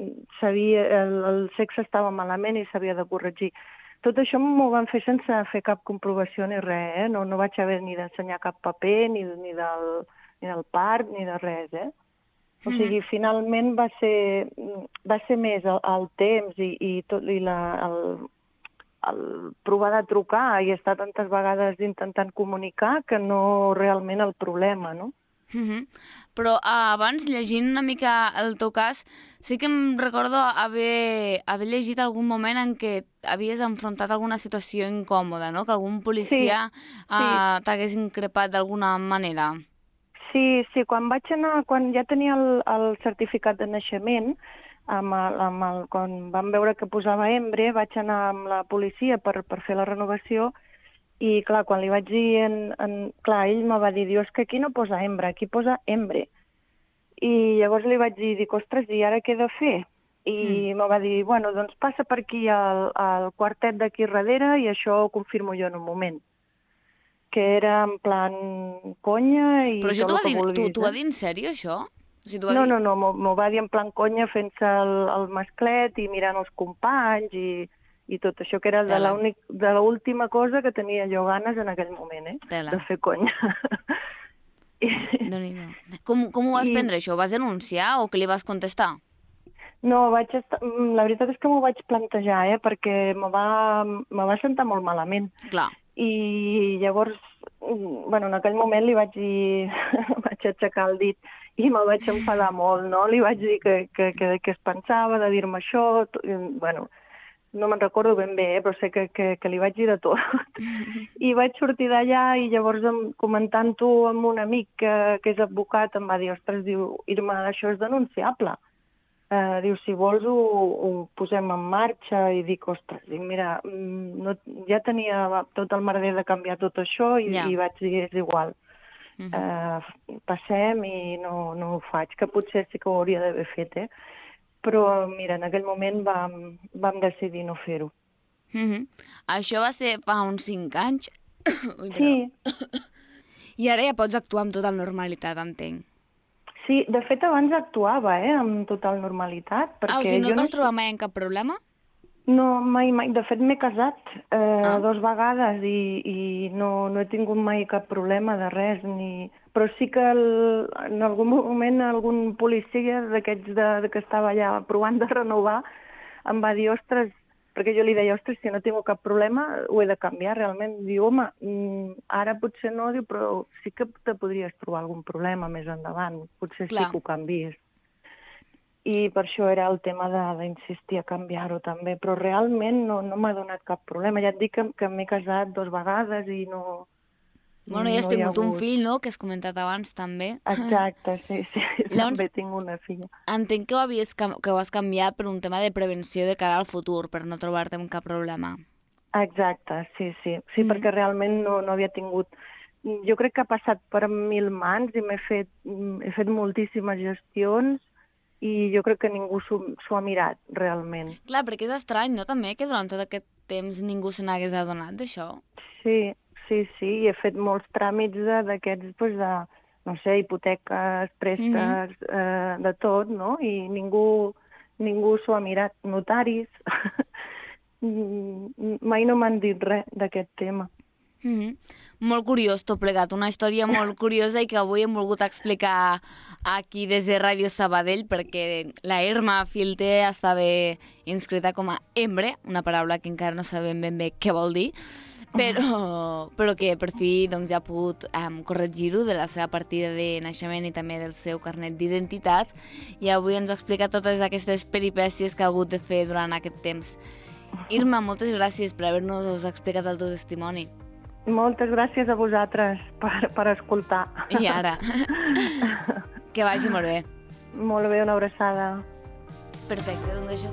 el sexe estava malament i s'havia de corregir. Tot això m'ho van fer sense fer cap comprovació ni res, No vaig haver ni d'ensenyar cap paper, ni del part, ni de res, O sigui, finalment va ser més el temps i el provar de trucar i estar tantes vegades intentant comunicar que no realment el problema, no? Però abans, llegint una mica el teu cas, sí que em recordo haver llegit algun moment en què havies enfrontat alguna situació incòmoda, no? Que algun policia t'hagués increpat d'alguna manera. Sí, quan ja tenia el certificat de naixement, quan vam veure que posava embre, vaig anar amb la policia per fer la renovació i, clar, quan li vaig dir, ell me va dir, és que aquí no posa embre, aquí posa embre. I llavors li vaig dir, ostres, i ara què he de fer? I me va dir, bueno, doncs passa per aquí al quartet d'aquí darrere i això ho confirmo jo en un moment. Que era en plan conya i... Però això t'ho va dir en sèrio, això? O sigui, t'ho va dir? No, m'ho va dir en plan conya fent-se el masclet i mirant els companys i tot això, que era de l'última cosa que tenia jo ganes en aquell moment, de fer conya. Com ho vas prendre, això? Ho vas denunciar o què li vas contestar? No, la veritat és que m'ho vaig plantejar, perquè me va sentar molt malament. Clar. I llavors, en aquell moment li vaig dir, vaig aixecar el dit i me'l vaig enfadar molt, no? Li vaig dir que es pensava de dir-me això, no me'n recordo ben bé, però sé que li vaig dir de tot. I vaig sortir d'allà i llavors comentant-ho amb un amic que és advocat em va dir, ostres, diu, Irma, això és denunciable. Diu, si vols ho posem en marxa, i dic, ostres, mira, ja tenia tot el merder de canviar tot això i vaig dir, és igual, passem i no ho faig, que potser sí que ho hauria d'haver fet, però mira, en aquell moment vam decidir no fer-ho. Això va ser fa uns 5 anys? Sí. I ara ja pots actuar amb tota normalitat, entenc. Sí, de fet abans actuava, amb total normalitat. O sigui, no et vas trobar mai en cap problema? No, mai. De fet, m'he casat 2 vegades i no he tingut mai cap problema de res. Però sí que en algun moment algun policia d'aquests que estava allà provant de renovar em va dir, ostres, perquè jo li deia, ostres, si no tinc cap problema ho he de canviar realment. Diu, home, ara potser no, però sí que te podries trobar algun problema més endavant. Potser sí que ho canvies. I per això era el tema d'insistir a canviar-ho també. Però realment no m'ha donat cap problema. Ja et dic que m'he casat 2 vegades i no... Bueno, ja has tingut un fill, no?, que has comentat abans, també. Exacte, sí. També tinc una filla. Entenc que ho has canviat per un tema de prevenció de cara al futur, per no trobar-te amb cap problema. Exacte, sí. Sí, perquè realment no havia tingut... Jo crec que ha passat per 1000 mans i he fet moltíssimes gestions i jo crec que ningú s'ho ha mirat, realment. Clar, perquè és estrany, no?, també, que durant tot aquest temps ningú se n'hagués adonat d'això. Sí, he fet molts tràmits d'aquests, no sé, hipoteques, préstecs, de tot, no? I ningú s'ho ha mirat. Notaris, mai no m'han dit res d'aquest tema. Molt curiós tot plegat, una història molt curiosa i que avui hem volgut explicar aquí des de Ràdio Sabadell, perquè la Irma Filte estava inscrita com a Embre, una paraula que encara no sabem ben bé què vol dir, però que per fi doncs, ja ha pogut corregir-ho de la seva partida de naixement i també del seu carnet d'identitat, i avui ens ha explicat totes aquestes peripècies que ha hagut de fer durant aquest temps. Irma, moltes gràcies per haver-nos explicat el teu testimoni. Moltes gràcies a vosaltres per escoltar. I ara. Que vagi molt bé. Molt bé, una abraçada. Perfecte, doncs això.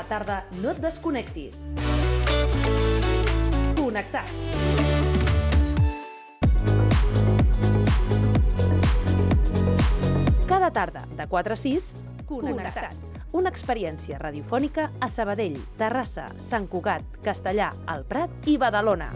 Tarda, no et desconnectis. Connectats. Cada tarda, de 4 a 6, Connectats. Una experiència radiofònica a Sabadell, Terrassa, Sant Cugat, Castellà, el Prat i Badalona.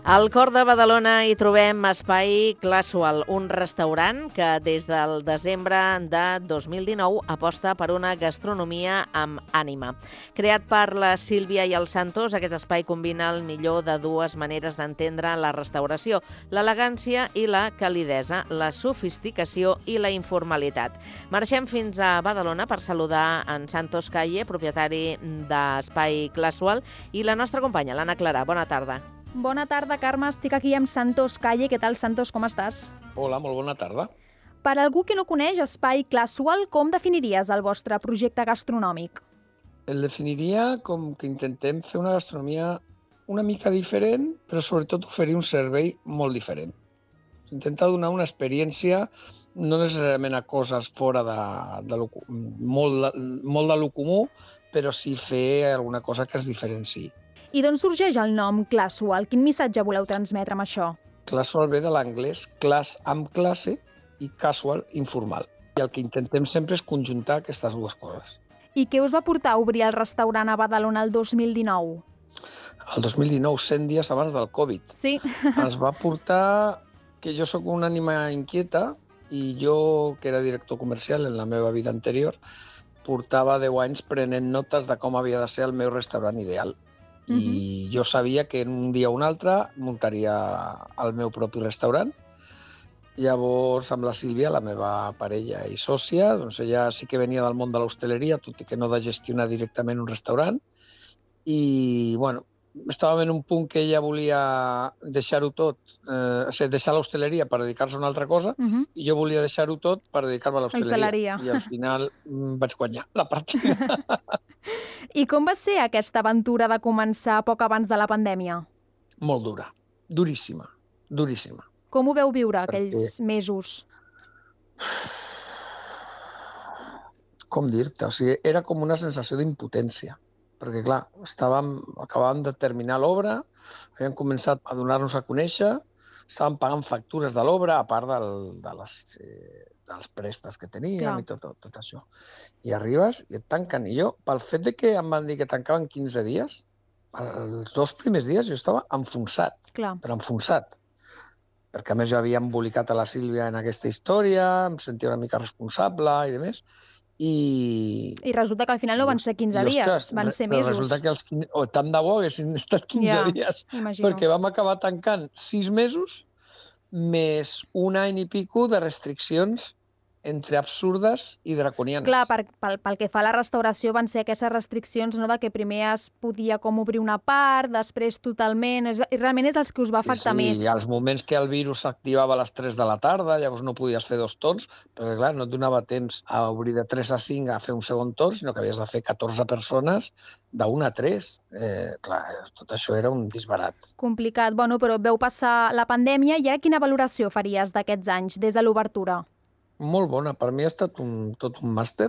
Al cor de Badalona hi trobem Espai Classwell, un restaurant que des del desembre de 2019 aposta per una gastronomia amb ànima. Creat per la Sílvia i el Santos, aquest espai combina el millor de dues maneres d'entendre la restauració, l'elegància i la calidesa, la sofisticació i la informalitat. Marxem fins a Badalona per saludar en Santos Calle, propietari d'Espai Classwell, i la nostra companya, l'Anna Clarà. Bona tarda. Bona tarda, Carme. Estic aquí amb Santos Calle. Què tal, Santos? Com estàs? Hola, molt bona tarda. Per algú que no coneix Espai Classwell, com definiries el vostre projecte gastronòmic? El definiria com que intentem fer una gastronomia una mica diferent, però sobretot oferir un servei molt diferent. Intenta donar una experiència no necessàriament a coses fora molt de lo comú, però sí fer alguna cosa que es diferenciï. I d'on sorgeix el nom Classwell? Quin missatge voleu transmetre amb això? Classwell ve de l'anglès class amb classe i casual informal. I el que intentem sempre és conjuntar aquestes dues coses. I què us va portar a obrir el restaurant a Badalona el 2019? El 2019, 100 dies abans del Covid. Sí. Ens va portar que jo sóc una ànima inquieta i jo, que era director comercial en la meva vida anterior, portava 10 anys prenent notes de com havia de ser el meu restaurant ideal. I jo sabia que un dia o un altre muntaria el meu propi restaurant. Llavors, amb la Sílvia, la meva parella i sòcia, doncs ella sí que venia del món de l'hostaleria, tot i que no de gestionar directament un restaurant. I, bueno, estàvem en un punt que ella volia deixar-ho tot, deixar l'hostaleria per dedicar-se a una altra cosa, i jo volia deixar-ho tot per dedicar-me a l'hostaleria. I al final vaig guanyar la partida. I com va ser aquesta aventura de començar poc abans de la pandèmia? Molt dura, duríssima, duríssima. Com ho veu viure aquells mesos? Com dir-te? O sigui, era com una sensació d'impotència. Perquè, clar, acabàvem de terminar l'obra, havíem començat a donar-nos a conèixer, estàvem pagant factures de l'obra, a part dels préstecs que teníem i tot això. I arribes i et tanquen. I jo, pel fet de que em van dir que tancaven 15 dies, els 2 primers dies jo estava enfonsat, però enfonsat. Perquè a més jo havia embolicat a la Sílvia en aquesta història, em sentia una mica responsable i demés. I resulta que al final no van ser 15 dies, van ser mesos. Resulta que tant de bo haguessin estat 15 dies, perquè vam acabar tancant 6 mesos més un any i pico de restriccions entre absurdes i draconianes. Clar, pel que fa a la restauració van ser aquestes restriccions de que primer es podia com obrir una part, després totalment, realment és els que us va afectar més. Sí, i als moments que el virus s'activava a les 3 de la tarda, llavors no podies fer 2 torns, perquè clar, no et donava temps a obrir de 3 a 5 a fer un segon torn, sinó que havies de fer 14 persones d'1 a 3. Clar, tot això era un disbarat. Complicat. Bueno, però veu passar la pandèmia i ara quina valoració faries d'aquests anys des de l'obertura? Molt bona. Per mi ha estat tot un màster.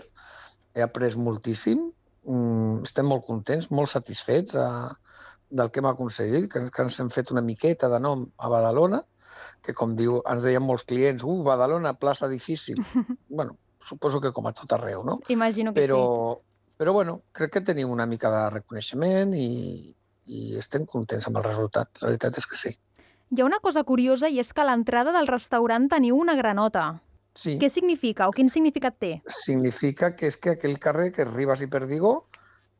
He après moltíssim. Estem molt contents, molt satisfets del que hem aconseguit, que ens hem fet una miqueta de nom a Badalona, que com ens deien molts clients, Badalona, plaça difícil. Bueno, suposo que com a tot arreu, no? Imagino que sí. Però bueno, crec que tenim una mica de reconeixement i estem contents amb el resultat. La veritat és que sí. Hi ha una cosa curiosa i és que a l'entrada del restaurant teniu una granota. Sí. Què significa o quin significat té? Significa que és que aquell carrer, que és Ribas i Perdigó,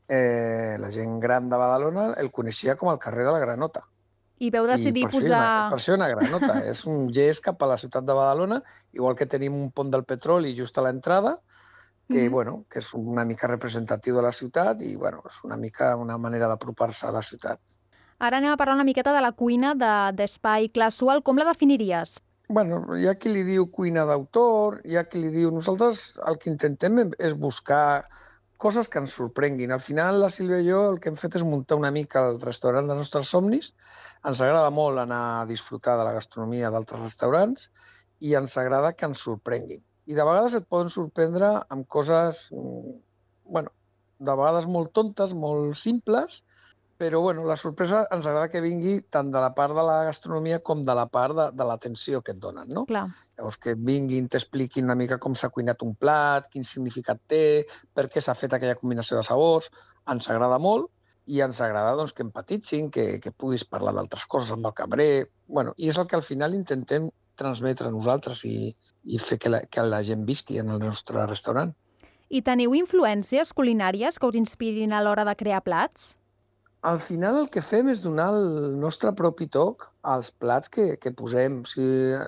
la gent gran de Badalona el coneixia com el carrer de la Granota. I veu decidir posar... Per això una granota. És un gest cap a la ciutat de Badalona, igual que tenim un pont del petroli just a l'entrada, que és una mica representatiu de la ciutat i és una manera d'apropar-se a la ciutat. Ara anem a parlar una miqueta de la cuina d'Espai Classwell. Com la definiries? Hi ha qui li diu cuina d'autor, hi ha qui li diu... Nosaltres el que intentem és buscar coses que ens sorprenguin. Al final, la Sílvia i jo el que hem fet és muntar una mica el restaurant dels nostres somnis. Ens agrada molt anar a disfrutar de la gastronomia d'altres restaurants i ens agrada que ens sorprenguin. I de vegades et poden sorprendre amb coses, de vegades molt tontes, molt simples, però la sorpresa ens agrada que vingui tant de la part de la gastronomia com de la part de l'atenció que et donen, no? Clar. Llavors que vinguin, t'expliquin una mica com s'ha cuinat un plat, quin significat té, per què s'ha fet aquella combinació de sabors, ens agrada molt i ens agrada doncs, que empatitzin, que puguis parlar d'altres coses amb el cambrer. Bueno, i és el que al final intentem transmetre a nosaltres i fer que la gent visqui en el nostre restaurant. I teniu influències culinàries que us inspirin a l'hora de crear plats? Al final el que fem és donar el nostre propi toc als plats que posem. O sigui,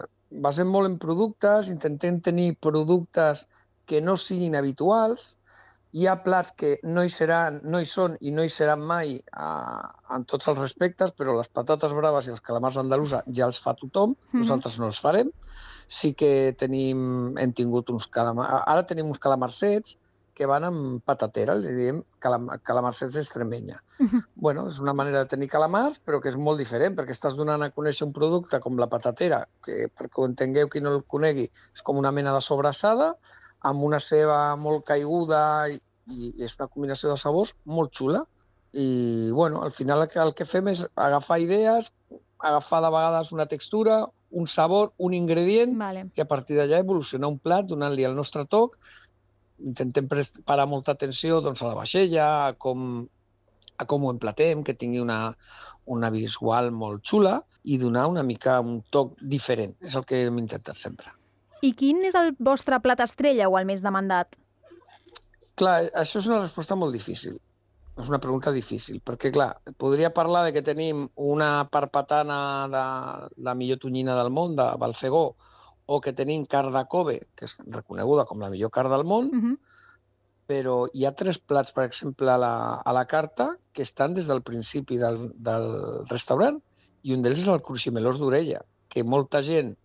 basem molt en productes, intentem tenir productes que no siguin habituals. Hi ha plats que no hi són i no hi seran mai en tots els respectes, però les patates braves i els calamars andalusa ja els fa tothom, nosaltres no els farem. Sí que hem tingut uns calamars... Ara tenim uns calamarsets que van amb patatera, li diem calamarsets d'Extremenya. Bueno, és una manera de tenir calamars, però que és molt diferent, perquè estàs donant a conèixer un producte com la patatera, que perquè ho entengueu qui no el conegui, és com una mena de sobrassada, amb una ceba molt caiguda i és una combinació de sabors molt xula. I, bueno, al final el que fem és agafar idees, agafar de vegades una textura, un sabor, un ingredient, i a partir d'allà evolucionar un plat, donant-li el nostre toc. Intentem parar molta atenció doncs, a la vaixella, a com ho emplatem, que tingui una visual molt xula i donar una mica un toc diferent. És el que hem intentat sempre. I quin és el vostre plat estrella o el més demandat? Clar, això és una resposta molt difícil. És una pregunta difícil, perquè, clar, podria parlar de que tenim una parpatana de la millor tonyina del món, de Balfegó, o que tenim carn de Kobe, que és reconeguda com la millor carn del món, però hi ha 3 plats, per exemple, a la carta, que estan des del principi del restaurant, i un d'ells és el crucimelós d'orella, que molta gent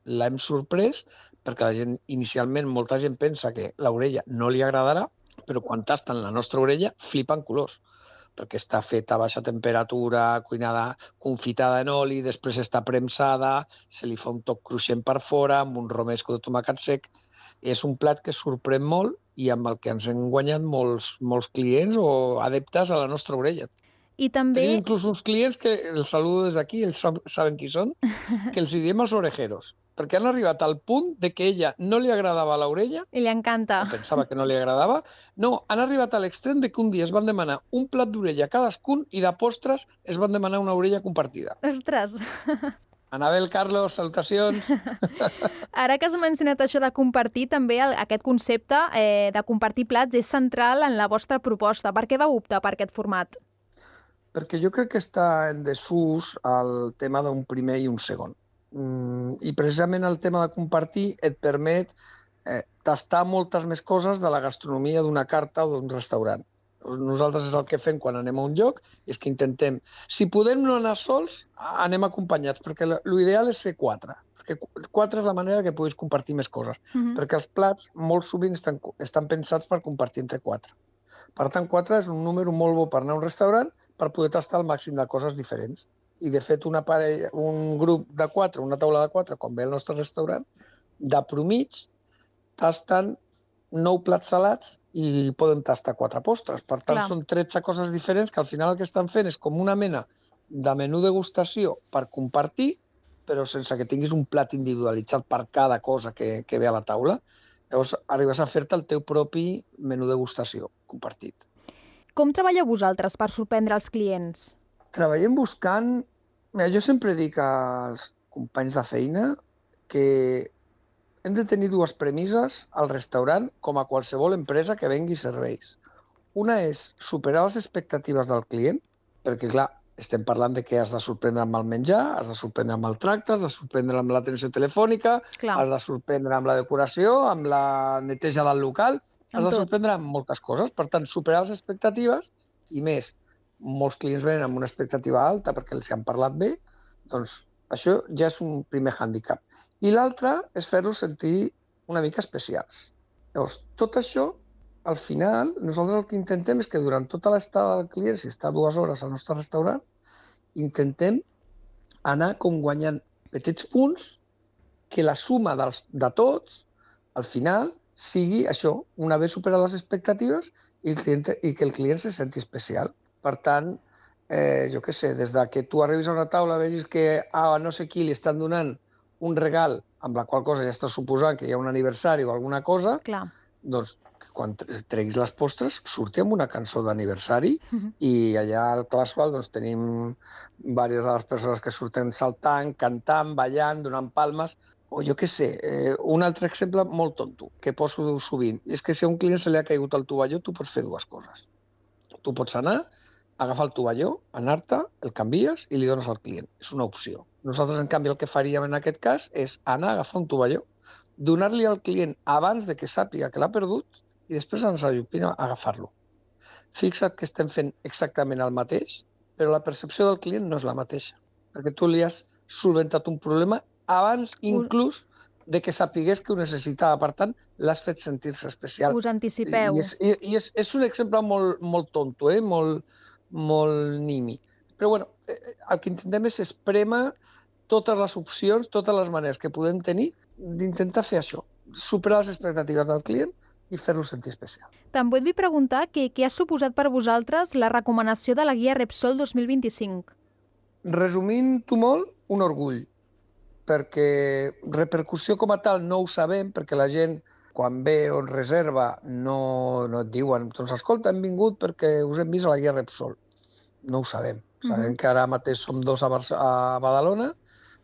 l'hem sorprès, perquè inicialment molta gent pensa que l'orella no li agradarà, però quan tasten la nostra orella flipen colors, perquè està feta a baixa temperatura, cuinada, confitada en oli, després està premsada, se li fa un toc cruixent per fora, amb un romesco de tomàquet sec. És un plat que sorprèn molt i amb el que ens hem guanyat molts clients o adeptes a la nostra orella. I també... Tenim inclús uns clients que els saludo des d'aquí, ells saben qui són, que els diem els orejeros, perquè han arribat al punt de que ella no li agradava l'orella. I li encanta. Pensava que no li agradava. No, han arribat a l'extrem de que un dia es van demanar un plat d'orella cadascun i de postres es van demanar una orella compartida. Ostres! Anabel, Carlos, salutacions. Ara que has mencionat això de compartir, també aquest concepte de compartir plats és central en la vostra proposta. Per què vau optar per aquest format? Perquè jo crec que està en desús el tema d'un primer i un segon. I precisament el tema de compartir et permet tastar moltes més coses de la gastronomia d'una carta o d'un restaurant. Nosaltres és el que fem quan anem a un lloc, és que intentem, si podem no anar sols, anem acompanyats, perquè l'ideal és ser 4. Perquè 4 és la manera que puguis compartir més coses, perquè els plats molt sovint estan pensats per compartir entre 4. Per tant, 4 és un número molt bo per anar a un restaurant per poder tastar el màxim de coses diferents. I, de fet, un grup de 4, una taula de 4, quan ve al nostre restaurant, de promig, tasten 9 plats salats i poden tastar 4 postres. Per tant, són 13 coses diferents que al final el que estan fent és com una mena de menú degustació per compartir, però sense que tinguis un plat individualitzat per cada cosa que ve a la taula. Llavors, arribes a fer-te el teu propi menú degustació compartit. Com treballeu vosaltres per sorprendre els clients? Treballem buscant... Jo sempre dic als companys de feina que hem de tenir 2 premisses al restaurant com a qualsevol empresa que vengui serveis. Una és superar les expectatives del client, perquè, clar, estem parlant de que has de sorprendre amb el menjar, has de sorprendre amb el tracte, has de sorprendre amb l'atenció telefònica, has de sorprendre amb la decoració, amb la neteja del local, has de sorprendre amb moltes coses. Per tant, superar les expectatives i més. Molts clients venen amb una expectativa alta perquè els han parlat bé, doncs això ja és un primer hàndicap. I l'altre és fer-los sentir una mica especials. Llavors, tot això, al final, nosaltres el que intentem és que durant tota l'estada del client, si està 2 hores al nostre restaurant, intentem anar com guanyant petits punts que la suma de tots, al final, sigui això, una vegada superar les expectatives i que el client se senti especial. Per tant, jo què sé, des que tu arribis a una taula vegis que a no sé qui li estan donant un regal amb la qual cosa ja estàs suposant que hi ha un aniversari o alguna cosa, doncs que quan treguis les postres surti amb una cançó d'aniversari i allà al Classwell doncs, tenim diverses de les persones que surten saltant, cantant, ballant, donant palmes, o jo què sé, un altre exemple molt tonto, que poso sovint, és que si a un client se li ha caigut el tovalló, tu pots fer dues coses. Tu pots anar, agafar el tovalló, anar-te, el canvies i li dones al client. És una opció. Nosaltres, en canvi, el que faríem en aquest cas és anar a agafar un tovalló, donar-li al client abans de que sàpiga que l'ha perdut i després ens ajupina a agafar-lo. Fixa't que estem fent exactament el mateix, però la percepció del client no és la mateixa, perquè tu li has solventat un problema abans inclús de que sapigués que ho necessitava. Per tant, l'has fet sentir-se especial. Us anticipeu. I és un exemple molt tonto, molt nimi. Però bueno, el que intentem és esprémer totes les opcions, totes les maneres que podem tenir d'intentar fer això, superar les expectatives del client i fer-lo sentir especial. També et vull preguntar què ha suposat per vosaltres la recomanació de la guia Repsol 2025. Resumint-ho molt, un orgull, perquè repercussió com a tal no ho sabem, perquè la gent, quan ve o reserva, no et diuen, doncs escolta, hem vingut perquè us hem vist a la guia Repsol. No ho sabem. Sabem que ara mateix som 2 a Badalona,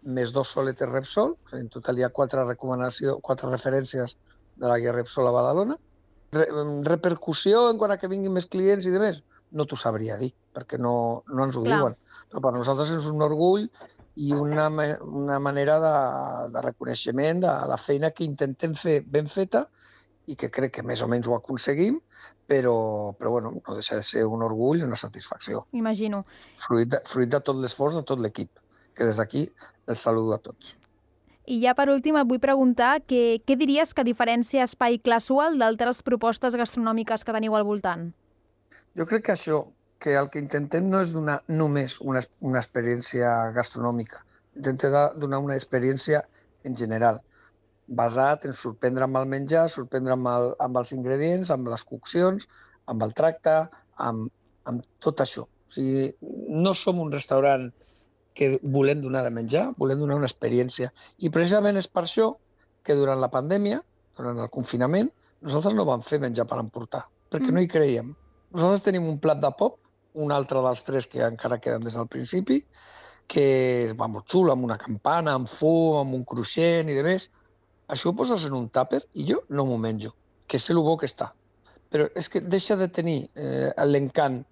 més 2 soletes Repsol, en total hi ha 4 referències de la guia Repsol a Badalona. Repercussió en quant a que vinguin més clients i demés, no t'ho sabria dir, perquè no ens ho diuen. Però per nosaltres és un orgull i una manera de reconeixement de la feina que intentem fer ben feta i que crec que més o menys ho aconseguim, però bueno, no deixa de ser un orgull i una satisfacció. Imagino. Fruit de tot l'esforç de tot l'equip, que des d'aquí els saludo a tots. I ja per últim et vull preguntar què diries que diferencia Espai Classwell d'altres propostes gastronòmiques que teniu al voltant? Jo crec que això, que el que intentem no és donar només una experiència gastronòmica, intentem donar una experiència en general, basat en sorprendre amb el menjar, sorprendre amb els ingredients, amb les coccions, amb el tracte, amb tot això. O sigui, no som un restaurant que volem donar de menjar, volem donar una experiència. I precisament és per això que durant la pandèmia, durant el confinament, nosaltres no vam fer menjar per emportar, perquè no hi creiem. Nosaltres tenim un plat de pop, un altre dels 3 que encara queden des del principi, que va molt xulo, amb una campana, amb fum, amb un cruixent i demés. Això ho poses en un tàper i jo no m'ho menjo, que sé el bo que està. Però és que deixa de tenir l'encant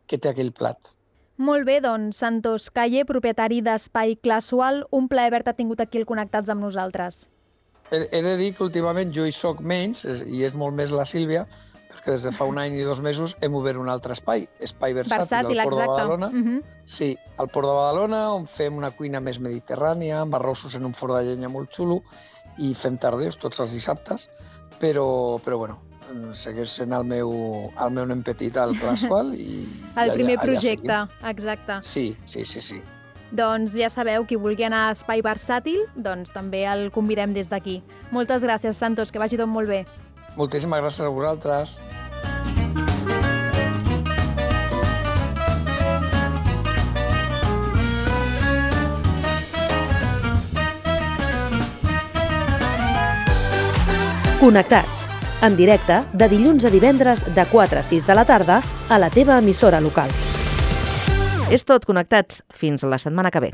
que té aquell plat. Molt bé, doncs, Santos Calle, propietari d'Espai Classwell, un plaer haver-te tingut aquí al Connectats amb nosaltres. He de dir que últimament jo hi soc menys, i és molt més la Sílvia, perquè des de fa un any i 2 mesos hem obert un altre espai, Espai Versàtil, al Port de Badalona. Sí, al Port de Badalona, on fem una cuina més mediterrània, amb arrossos en un forn de llenya molt xulo, i fem tardeus tots els dissabtes, però bueno, segueix sent el meu nen petit al Classwell. El primer projecte, exacte. Sí. Doncs ja sabeu, qui vulgui anar a Espai Versàtil, doncs també el convidem des d'aquí. Moltes gràcies, Santos, que vagi tot molt bé. Moltíssimes gràcies a vosaltres. Connectats, en directe de dilluns a divendres de 4 a 6 de la tarda a la teva emissora local. És tot, Connectats. Fins la setmana que ve.